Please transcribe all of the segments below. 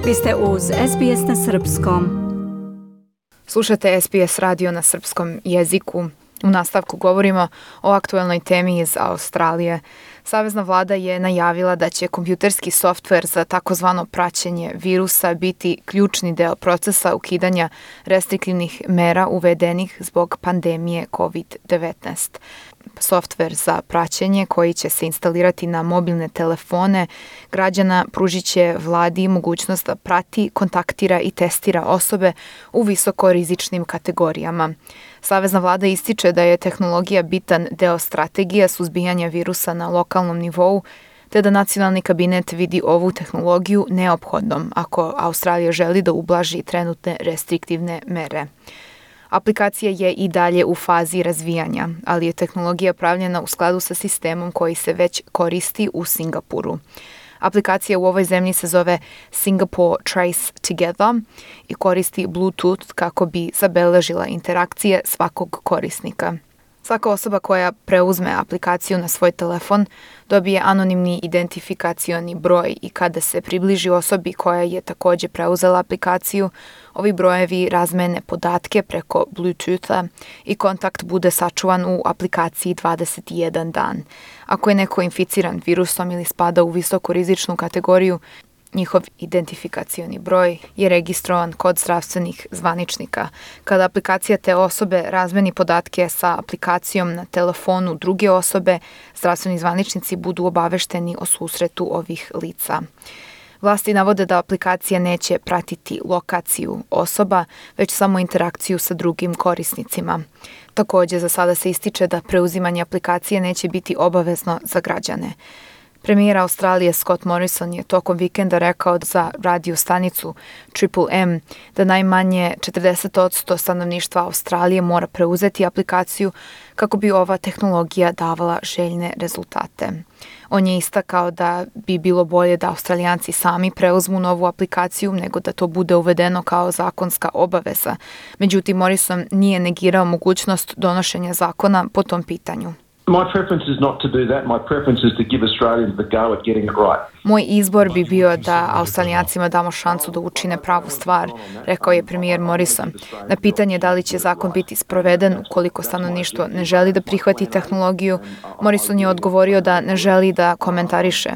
Vi ste uz SBS na srpskom. Slušate SBS radio na srpskom jeziku. U nastavku govorimo o aktuelnoj temi iz Australije. Savezna vlada je najavila da će kompjuterski softver za takozvano praćenje virusa biti ključni deo procesa ukidanja restriktivnih mera uvedenih zbog pandemije COVID-19. Softver za praćenje koji će se instalirati na mobilne telefone građana pružit će vladi mogućnost da prati, kontaktira i testira osobe u visokorizičnim kategorijama. Savezna vlada ističe da je tehnologija bitan deo strategije suzbijanja virusa na lokalnom nivou, te da nacionalni kabinet vidi ovu tehnologiju neophodnom ako Australija želi da ublaži trenutne restriktivne mere. Aplikacija je i dalje u fazi razvijanja, ali je tehnologija pravljena u skladu sa sistemom koji se već koristi u Singapuru. Aplikacija u ovoj zemlji se zove Singapore Trace Together i koristi Bluetooth kako bi zabeležila interakcije svakog korisnika. Svaka osoba koja preuzme aplikaciju na svoj telefon dobije anonimni identifikacioni broj i kada se približi osobi koja je također preuzela aplikaciju, ovi brojevi razmene podatke preko Bluetootha i kontakt bude sačuvan u aplikaciji 21 dan. Ako je neko inficiran virusom ili spada u visokorizičnu kategoriju, njihov identifikacioni broj je registrovan kod zdravstvenih zvaničnika. Kada aplikacija te osobe razmeni podatke sa aplikacijom na telefonu druge osobe, zdravstveni zvaničnici budu obavešteni o susretu ovih lica. Vlasti navode da aplikacija neće pratiti lokaciju osoba, već samo interakciju sa drugim korisnicima. Također, za sada se ističe da preuzimanje aplikacije neće biti obavezno za građane. Premijer Australije Scott Morrison je tokom vikenda rekao za radio stanicu Triple M da najmanje 40% stanovništva Australije mora preuzeti aplikaciju kako bi ova tehnologija davala željne rezultate. On je istakao da bi bilo bolje da Australijanci sami preuzmu novu aplikaciju nego da to bude uvedeno kao zakonska obaveza. Međutim, Morrison nije negirao mogućnost donošenja zakona po tom pitanju. Moj izbor bi bio da Australijancima damo šansu da učine pravu stvar, rekao je premijer Morrison. Na pitanje da li će zakon biti sproveden ukoliko stanovništvo ne želi da prihvati tehnologiju, Morrison je odgovorio da ne želi da komentariše.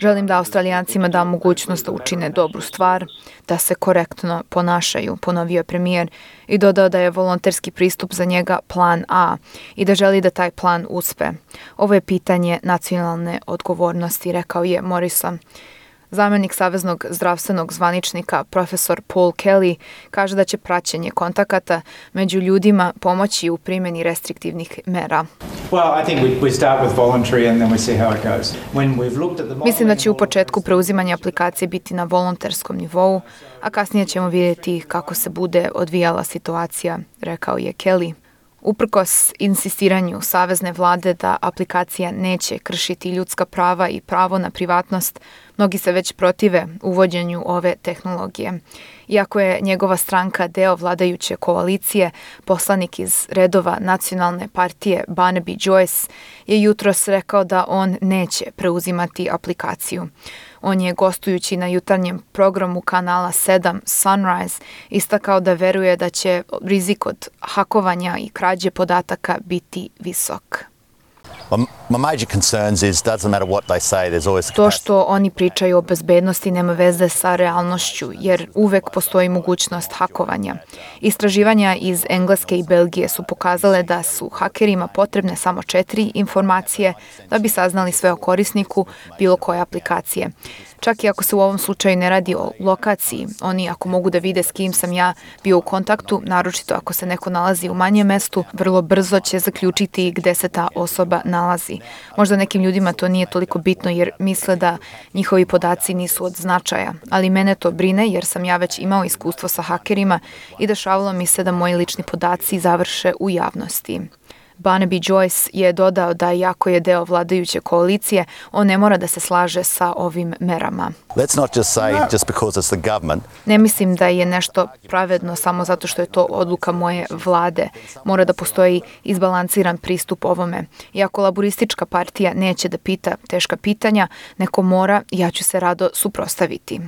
Želim da Australijancima dam mogućnost da učine dobru stvar, da se korektno ponašaju, ponovio je premijer i dodao da je volonterski pristup za njega plan A i da želi da taj plan uspe. Ovo je pitanje nacionalne odgovornosti, rekao je Morrison. Zamjenik saveznog zdravstvenog zvaničnika profesor Paul Kelly kaže da će praćenje kontakata među ljudima pomoći u primjeni restriktivnih mera. Mislim da će u početku preuzimanje aplikacije biti na volonterskom nivou, a kasnije ćemo vidjeti kako se bude odvijala situacija, rekao je Kelly. Uprkos insistiranju savezne vlade da aplikacija neće kršiti ljudska prava i pravo na privatnost, mnogi se već protive uvođenju ove tehnologije. Iako je njegova stranka deo vladajuće koalicije, poslanik iz redova nacionalne partije Barnaby Joyce je jutros rekao da on neće preuzimati aplikaciju. On je gostujući na jutarnjem programu kanala 7 Sunrise istakao da veruje da će rizik od hakovanja i krađe podataka biti visok. To što oni pričaju o bezbednosti nema veze sa realnošću, jer uvek postoji mogućnost hakovanja. Istraživanja iz Engleske i Belgije su pokazale da su hakerima potrebne samo 4 informacije da bi saznali sve o korisniku bilo koje aplikacije. Čak i ako se u ovom slučaju ne radi o lokaciji, oni ako mogu da vide s kim sam ja bio u kontaktu, naročito ako se neko nalazi u manjem mestu, vrlo brzo će zaključiti gde se ta osoba nalazi. Možda nekim ljudima to nije toliko bitno jer misle da njihovi podaci nisu od značaja, ali mene to brine jer sam ja već imao iskustvo sa hakerima i dešavalo mi se da moji lični podaci završe u javnosti. Barnaby Joyce je dodao da iako je deo vladajuće koalicije, on ne mora da se slaže sa ovim merama. Ne mislim da je nešto pravedno samo zato što je to odluka moje vlade. Mora da postoji izbalansiran pristup ovome. Iako laboristička partija neće da pita teška pitanja, neko mora i ja ću se rado suprotstaviti.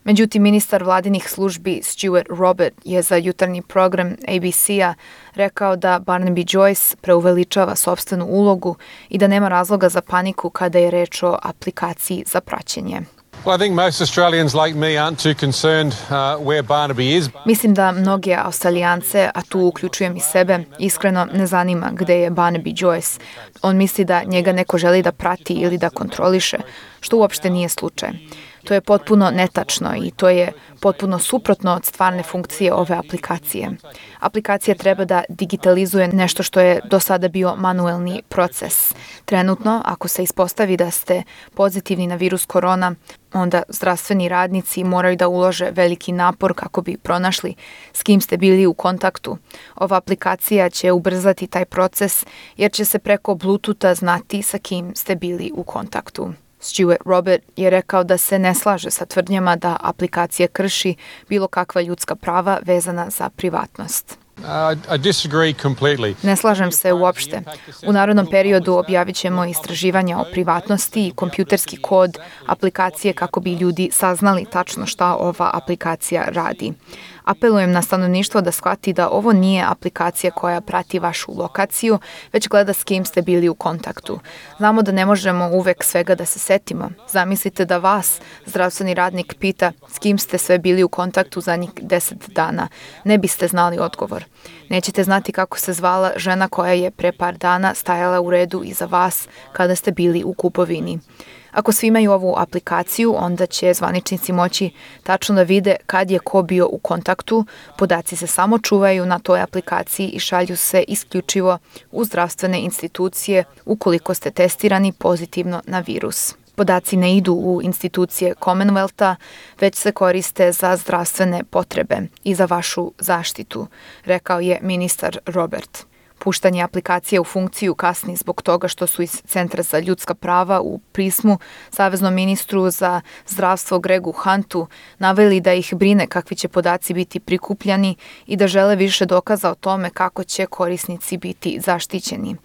Međutim, ministar vladinih službi Stuart Robert je za jutarnji program ABC-a rekao da Barnaby Joyce preuveličava sopstvenu ulogu i da nema razloga za paniku kada je reč o aplikaciji za praćenje. Well, I think most Australians like me aren't too concerned where Barnaby is. Mislim da mnoge Australijance, a tu uključujem i sebe, iskreno ne zanima gde je Barnaby Joyce. On misli da njega neko želi da prati ili da kontroliše, što uopšte nije slučaj. To je potpuno netačno i to je potpuno suprotno od stvarne funkcije ove aplikacije. Aplikacija treba da digitalizuje nešto što je do sada bio manuelni proces. Trenutno, ako se ispostavi da ste pozitivni na virus korona, onda zdravstveni radnici moraju da ulože veliki napor kako bi pronašli s kim ste bili u kontaktu. Ova aplikacija će ubrzati taj proces jer će se preko Bluetootha znati sa kim ste bili u kontaktu. Stuart Robert je rekao da se ne slaže sa tvrdnjama da aplikacija krši bilo kakva ljudska prava vezana za privatnost. I disagree completely. Ne slažem se uopšte. U narednom periodu objavit ćemo istraživanja o privatnosti i kompjuterski kod aplikacije kako bi ljudi saznali tačno šta ova aplikacija radi. Apelujem na stanovništvo da shvati da ovo nije aplikacija koja prati vašu lokaciju, već gleda s kim ste bili u kontaktu. Znamo da ne možemo uvek svega da se setimo. Zamislite da vas, zdravstveni radnik, pita s kim ste sve bili u kontaktu zadnjih 10 dana. Ne biste znali odgovor. Nećete znati kako se zvala žena koja je pre par dana stajala u redu iza vas kada ste bili u kupovini. Ako svi imaju ovu aplikaciju, onda će zvaničnici moći tačno da vide kad je ko bio u kontaktu. Podaci se samo čuvaju na toj aplikaciji i šalju se isključivo u zdravstvene institucije ukoliko ste testirani pozitivno na virus. Podaci ne idu u institucije Commonwealtha, već se koriste za zdravstvene potrebe i za vašu zaštitu, rekao je ministar Robert. Puštanje aplikacije u funkciju kasni zbog toga što su iz Centra za ljudska prava u pismu saveznom ministru za zdravstvo Gregu Huntu naveli da ih brine kakvi će podaci biti prikupljani i da žele više dokaza o tome kako će korisnici biti zaštićeni.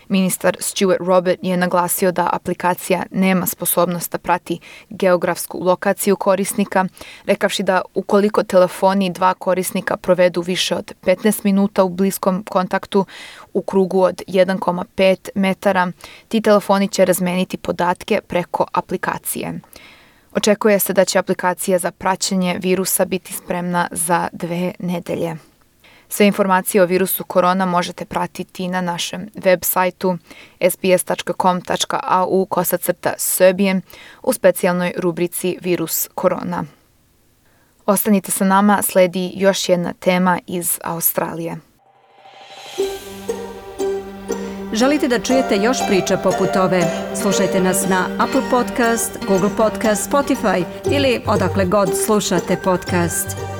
Ministar Stuart Robert je naglasio da aplikacija nema sposobnost da prati geografsku lokaciju korisnika, rekavši da ukoliko telefoni dva korisnika provedu više od 15 minuta u bliskom kontaktu u krugu od 1,5 metara, ti telefoni će razmeniti podatke preko aplikacije. Očekuje se da će aplikacija za praćenje virusa biti spremna za 2 nedelje. Sve informacije o virusu korona možete pratiti na našem web sajtu sbs.com.au/Serbian u specijalnoj rubrici Virus korona. Ostanite sa nama, sledi još jedna tema iz Australije. Želite da čujete još priča poput ove? Slušajte nas na Apple Podcast, Google Podcast, Spotify ili odakle god slušate podcast.